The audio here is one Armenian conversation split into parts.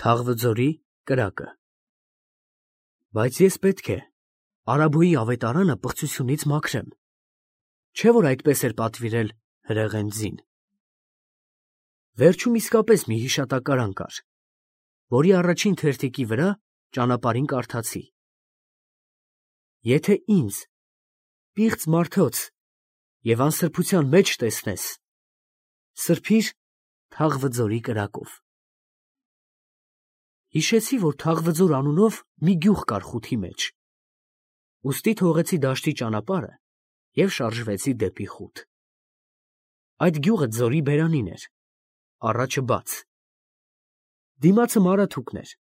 Թաղվձորի կրակը։ Բայց ես պետք է Արաբոյի ավետարանը պղծությունից մաքրեմ, չէ՞ որ այդպես էր պատվիրել հրեղեն ձին։ Վերջում իսկապես մի հիշատակարան կար, որի առաջին թերթիկի վրա ճանապարհին կարդացի. Եթե ինձ, պիղծ մարդոց և անսրբության մեջ տեսնես, սրբիր Թաղվձորի կրակով։ Հիշեցի, որ Թաղվձոր անունով մի գյուղ կար խութի մեջ, ուստի թողեցի դաշտի ճանապարհը և շարժվեցի դեպի խուտ։ Այդ գյուղը ձորի բերանին էր, առաջը բաց, դիմացը մարաթուկն էր,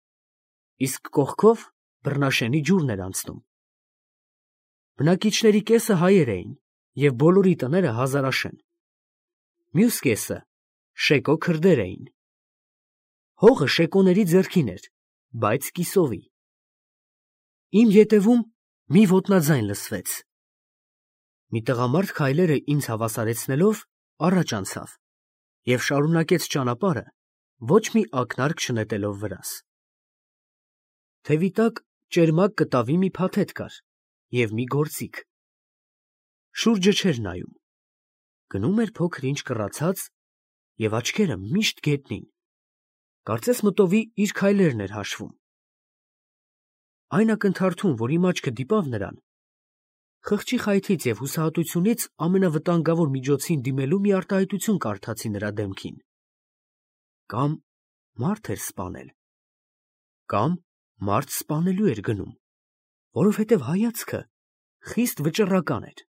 իսկ կողքով բռնաշենի ջուրն էր անցնում։ Բնակիչների կեսը հայեր էին և բոլորի տները հազարաշեն, մյուս կեսը շեկո քրդեր էին։ Հողը շեկոների ձեռքին էր, բայց կիսովի։ Իմ ետևում մի ոտնաձայն լսվեց։ Մի տղամարդ քայլերը ինձ հավասարեցնելով առաջ անցավ և շարունակեց ճանապարհը, ոչ մի ակնարկ չնետելով վրաս։ Թևի տակ ճերմակ կտավի մի փաթեթ կար և մի գործիք։ Շուրջը չէր նայում, գնում էր փոքր-ինչ կռացած և աչքերը միշտ գետնին, կարծես մտովի իր քայլերն էր հաշվում։ Այն ակնթարթում, որ իմ աչքը դիպավ նրան, խղճի խայթից և հուսահատությունից ամենավտանգավոր միջոցին դիմելու մի արտահայտություն կարդացի նրա դեմքին։ Կամ մարդ էր սպանել, կամ մարդ սպանելու էր գնում, որովհետև հայացքը խիստ վճռական էր։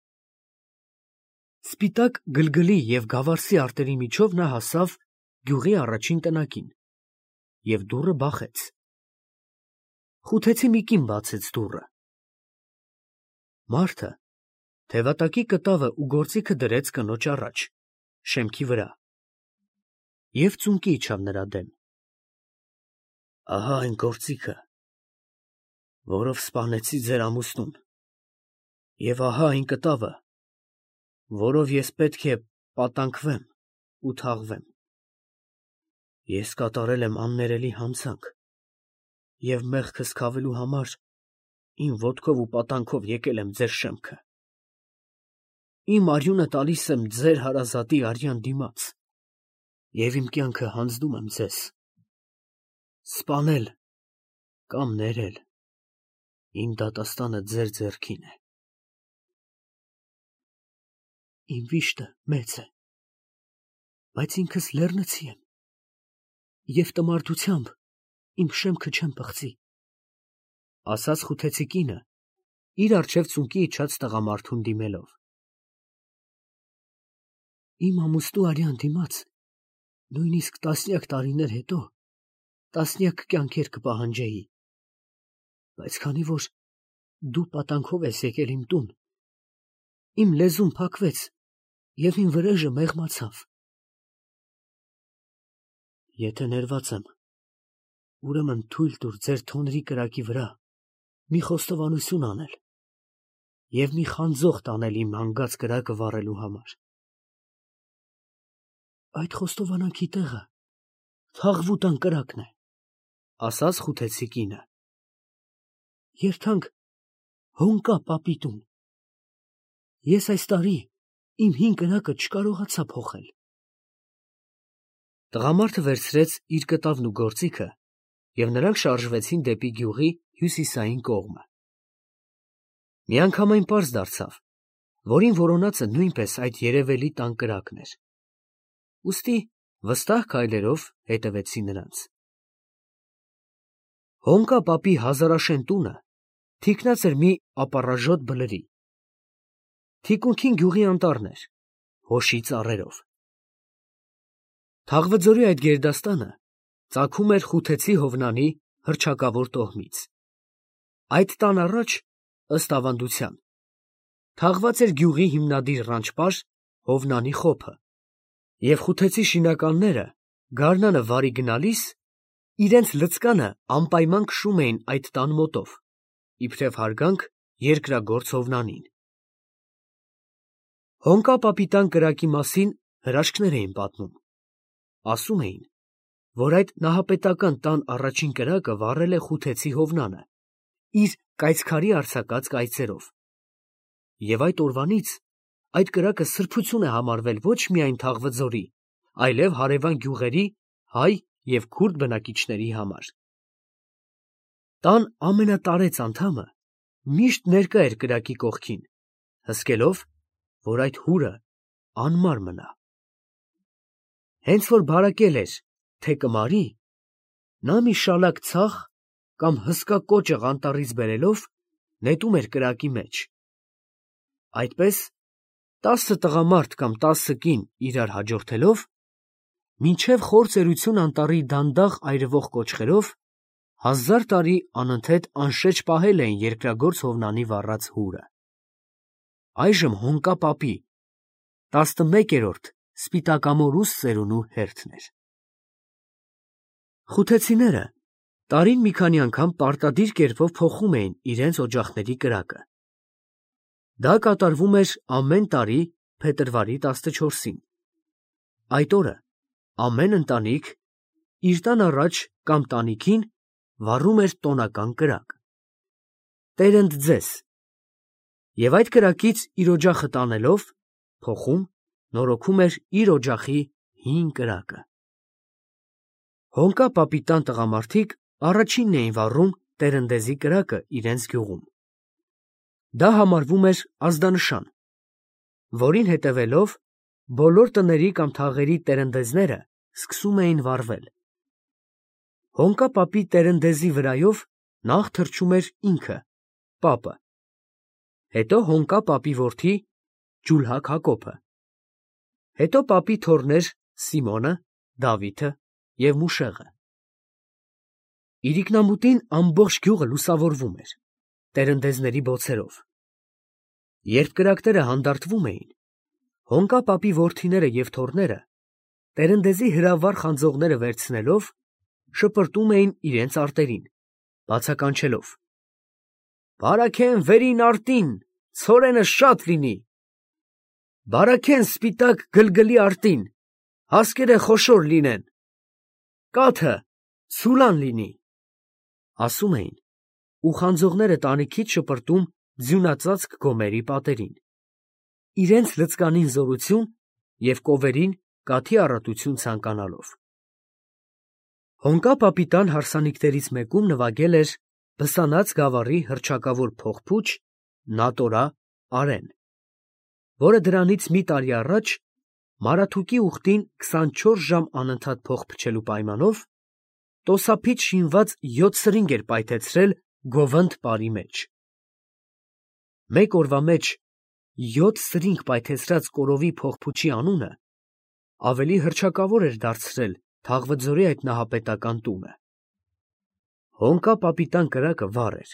Սպիտակ գլգլի և գավարսի արտերի միջով նա հասավ գյուղի առաջին տնակին և դուռը բախեց։ Խութեցի մի կին բացեց դուռը։ Մարդը թևատակի կտավը ու գործիքը դրեց կնոջ առաջ, շեմքի վրա, և ծունկի իջավ նրա դեմ։ Ահա այն գործիքը, որով սպանեցի ձեր ամուսնուն, և ահա այն կտավը, որով ես պետք է պատանքվեմ ու թաղվեմ։ Ես կատարել եմ աններելի հանցանք և մեղքս քավելու համար իմ ոտքով ու պատանքով եկել եմ ձեր շեմքը։ Իմ արյունը տալիս եմ ձեր հարազատի արյան դիմաց և իմ կյանքը հանձնում եմ ձեզ։ Սպանել կամ ներել իմ դատաստանը ձեր ձեռքին է։ Իմ վիշտը մեծ է, բայց ինքս լեռնցի եմ և տմարդությամբ իմ շեմքը չեմ պղծի, ասաց խութեցի կինը, իր առջև ծունկի իջած տղամարդուն դիմելով։ Իմ ամուսնու արյան դիմաց նույնիսկ տասնյակ տարիներ հետո տասնյակ կյանքեր կպահանջեի, բայց քանի որ դու պատանքով ես եկել իմ տուն, իմ լեզուն փակվեց և իմ վրեժը մեղմացավ։ Եթե ներված եմ, ուրեմն թույլ տուր ձեր թոնրի կրակի վրա մի խոստովանություն անել և մի խանձողդ անել իմ հանգած կրակը վառելու համար։ Այդ խոստովանանքի տեղը Թաղվուտան կրակն է, ասաց խութեցի կինը։ Երթանք Հոնկա պապի տուն։ Ես այս տարի իմ հին կրակը չկարողացա փոխել։ Տղամարդը վերցրեց իր կտավն ու գործիքը, և նրանք շարժվեցին դեպի գյուղի հյուսիսային կողմը։ Միանգամայն պարզ դարձավ, որ իմ որոնածը նույնպես այդ երևելի տան կրակն էր, ուստի վստահ քայլերով հետևեցի նրանց։ Հոնկա պապի հազարաշեն տունը թիկնած էր մի ապառաժոտ բլրի։ Թիկունքին գյուղի անտառն էր, հոշի ծառերով։ Թաղվձորի այդ գերդաստանը ծագում էր Խութեցի Հովնանի հռչակավոր տոհմից։ Այդ տան առաջ, ըստ ավանդության, թաղված էր գյուղի հիմնադիր ռանչպար Հովնանի խոփը, և խութեցի շինականները գարնանը վարի գնալիս իրենց լծկանը անպայման քշում էին այդ տան մոտով, իբրև հարգանք երկրագործ Հովնանին։ Հոնկա պապի տան կրակի մասին հրաշքներ էին պատմում։ Ասում էին, որ այդ նահապետական տան առաջին կրակը վառել է Խութեցի Հովնանը, իր կայծքարի արձակած կայծերով։ Եվ այդ օրվանից այդ կրակը սրբություն է համարվել ոչ միայն Թաղվձորի, այլև հարևան գյուղերի հայ և քուրդ բնակիչների համար։ Տան ամենատարեց անդամը միշտ ներկա էր կրակի կողքին, հսկելով, որ այդ հուրը անմար մնա։ Հենց որ բարակել էր, թե կմարի, նա մի շալակ ցախ կամ հսկա կոճղ անտառից բերելով նետում էր կրակի մեջ։ Այդպես 10 տղամարդ կամ 10 կին իրար հաջորդելով, մինչև խոր ծերություն անտառի դանդաղ այրվող կոճղերով 1000 տարի անընդհետ անշեջ պահել էին երկրագործ Հովնանի վառած հուրը։ Այժմ Հոնկա պապի 11-րդ Սպիտակամորուս ծերունու հերթն էր։ Խութեցիները տարին մի քանի անգամ պարտադիր կերպով փոխում էին իրենց օջախների կրակը։ Դա կատարվում էր ամեն տարի փետրվարի 14-ին։ Այդ օրը ամեն ընտանիք իր տան առաջ կամ տանիքին վառում էր տոնական կրակ։ Տերընդ ձեզ։ Եվ այդ կրակից իր օջախը տանելով, փոխում, նորոգում էր իր օջախի հին կրակը։ Հոնկա պապի տան տղամարդիկ առաջինն էին վառում տերնդեզի կրակը իրենց գյուղում։ Դա համարվում էր ազդանշան, որին հետևելով բոլոր տների կամ թաղերի տերնդեզները սկսում էին վառվել։ Հոնկա պապի տերնդեզի վրայով նախ թռչում էր ինքը, պապը, հետո Հոնկա պապի որդի Ջուլհակ Հակոբը, հետո պապի թոռներ Սիմոնը, Դավիթը և Մուշեղը։ Իրիկնամուտին ամբողջ գյուղը լուսավորվում էր տերնդեզների բոցերով։ Երբ կրակները հանդարտվում էին, Հոնկա պապի որդիները և թոռները տերնդեզի հրավառ խանձողները վերցնելով շպրտում էին իրենց արտերին, բացականչելով. «Բարաքեն վերին արտին, ցորենը շատ լինի, բարաքեն սպիտակ գլգլի արտին, հասկերը խոշոր լինեն, կաթը ցուլան լինի», ասում էին, ու խանձողները տանիքից շպրտում ձյունածածկ գոմերի պատերին, իրենց լծկանին զորություն և կովերին կաթի առատություն ցանկանալով։ Հոնկա պապի տան հարսանիքներից մեկում նվագել էր Բսանաց գավառի հռչակավոր փողփուչ Նատորա Արեն, որը դրանից մի տարի առաջ Մարաթուկի ուխտին 24 ժամ անընդհատ փող փչելու պայմանով տոսափից շինված 7 սրինգ էր պայթեցրել Գովընդ պարի մեջ։ Մեկ օրվա մեջ 7 սրինգ պայթեցրած կորովի փողփուչի անունը ավելի հռչակավոր էր դարձրել Թաղվձորի այդ նահապետական տունը։ Հոնկա պապի տան կրակը վառ էր,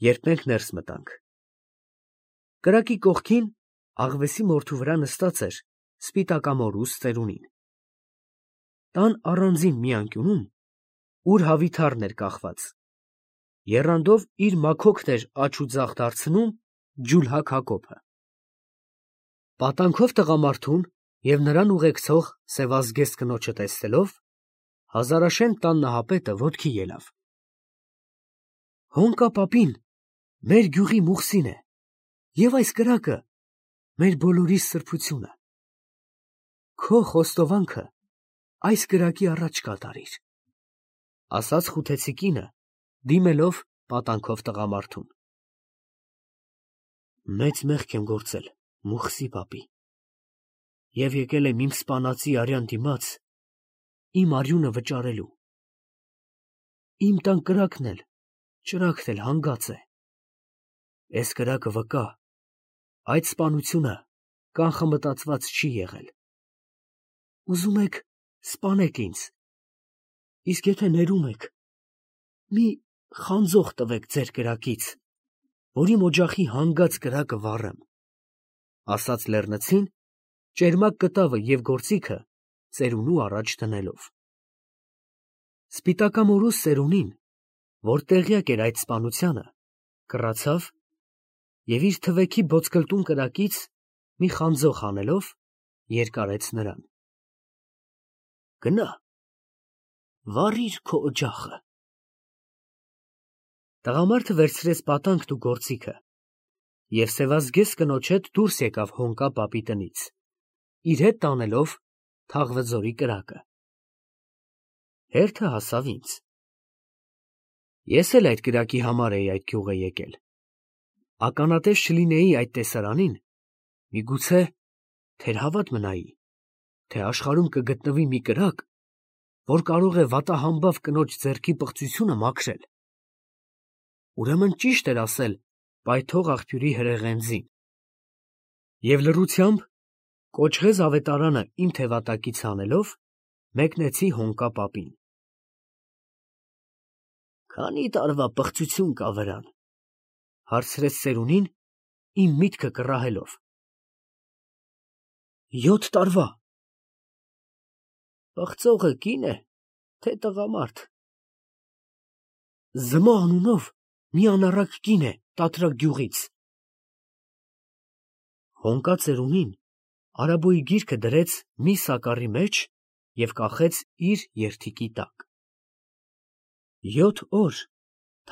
երբ մենք ներս մտանք։ Կրակի կողքին աղվեսի մորթու վրա նստած էր Սպիտակամորուս ծերունին։ Տան առանձին մի անկյունում, ուր հավիթառն էր կախված, եռանդով իր մաքոքն էր աջ ու ձախ դարձնում Ջուլհակ Հակոբը։ Պատանքով տղամարդուն և նրան ուղեկցող սևազգեստ կնոջը տեսնելով, Հազարաշեն տան նահապետը ոտքի ելավ. «Հոնկա պապին մեր գյուղի Մուխսին է, և այս կրակը մեր բոլորիս սրբությունը։ Քո խոստովանքը այս կրակի առաջ կատարիր», ասաց խութեցի կինը, դիմելով պատանքով տղամարդուն։ «Մեծ մեղք եմ գործել Մուխսի պապի, և եկել եմ իմ սպանածի արյան դիմաց իմ արյունը վճարելու։ Իմ տան կրակն էլ, ճրագն էլ հանգած է։ Էս կրակը վկա, այդ սպանությունը կանխմտածված չի եղել։ Ուզում եք սպանեք ինձ, իսկ եթե ներում եք, մի խանձող տվեք ձեր կրակից, որ իմ օջախի հանգած կրակը վառեմ», ասաց լեռնցին, ճերմակ կտավը և գործիքը ծերունու առաջ դնելով։ Սպիտակամորուս ծերունին, որ տեղյակ էր այդ սպանությանը, կռացավ և իր թվեքի բոցկլտուն կրակից մի խանձող հանելով երկարեց նրան. «Գնա, վառիր քո օջախը։ Տղամարդը վերցրեց պատանքն ու գործիքը և սևազգեստ կնոջ հետ դուրս եկավ հոնկա պապի տնից, իր հետ տանելով Թաղվձորի կրակը։ Հերթը հասավ ինձ։ Ես էլ այդ կրակի համար էի այդ գյուղը եկել։ Ականատես չլինեի այդ տեսարանին, միգուցե թերհավատ մնայի, թե աշխարհում կգտնվի մի կրակ, որ կարող է վատահամբավ կնոջ ձեռքի պղծությունը մաքրել։ Ուրեմն ճիշտ էր ասել պայթող աղբյուրի հրեղենձին։ Եվ լռությամբ, կոճղեզ ավետարանը իմ թևատակից հանելով, մեկնեցի հոնկա պապին։ Քանի տարվա պղծություն կա վրան, հարցրեց ծերունին, իմ միտքը կռահելով։ 7 տարվա։ Պղծողը կին է, թե տղամարդ։ Զմո անունով մի անառակ կին է Տատրակ գյուղից։ Հոնկա ծերունին արաբոյի գիրքը դրեց մի սակառի մեջ և կախեց իր երդիկի տակ։ 7 օր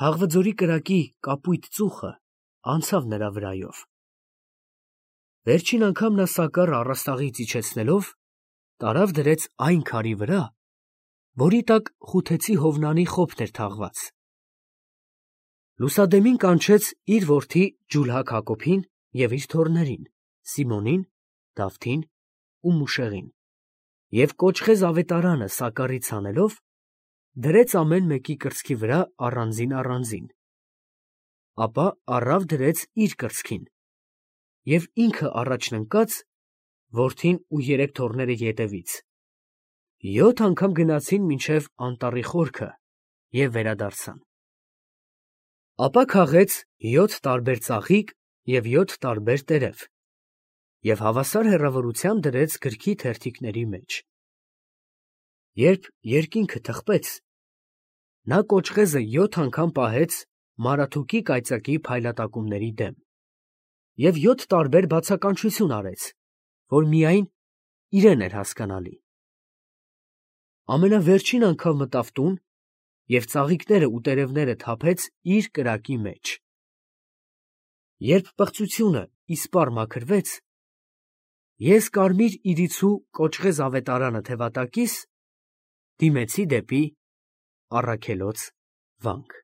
Թաղվձորի կրակի կապույտ ծուխը անցավ նրա վրայով։ Վերջին անգամ նա սակառը առաստաղից իջեցնելով, տարավ դրեց այն քարի վրա, որի տակ Խութեցի Հովնանի խոփն էր թաղված։ Լուսադեմին կանչեց իր որդի Ջուլհակ Հակոբին և իր թոռներին Սիմոնին, Դավթին ու Մուշեղին, և կոճղեզ ավետարանը սակառից հանելով, դրեց ամեն մեկի կրծքի վրա առանձին, ապա առավ դրեց իր կրծքին, և ինքը առաջն ընկած, որդին ու 3 թոռները ետևից, 7 անգամ գնացին մինչև անտառի խորքը և վերադարձան։ Ապա քաղեց 7 տարբեր ծաղիկ և 7 տարբեր տերև և հավասար հեռավորությամբ դրեց գրքի թերթիկների մեջ։ Երբ երկինքը թխվեց, նա կոճղեզը 7 անգամ պահեց Մարաթուկի կայծակի փայլատակումների դեմ և 7 տարբեր բացականչություն արեց, որ միայն իրեն էր հասկանալի։ Ամենավերջին անգամ մտավ տուն և ծաղիկները ու տերևները թափեց իր կրակի մեջ։ Երբ պղծությունը իսպառ մաքրվեց, ես կարմիր իրիցու կոճղեզ ավետարանը թևատակիս դիմեցի դեպի Առաքելոց վանք։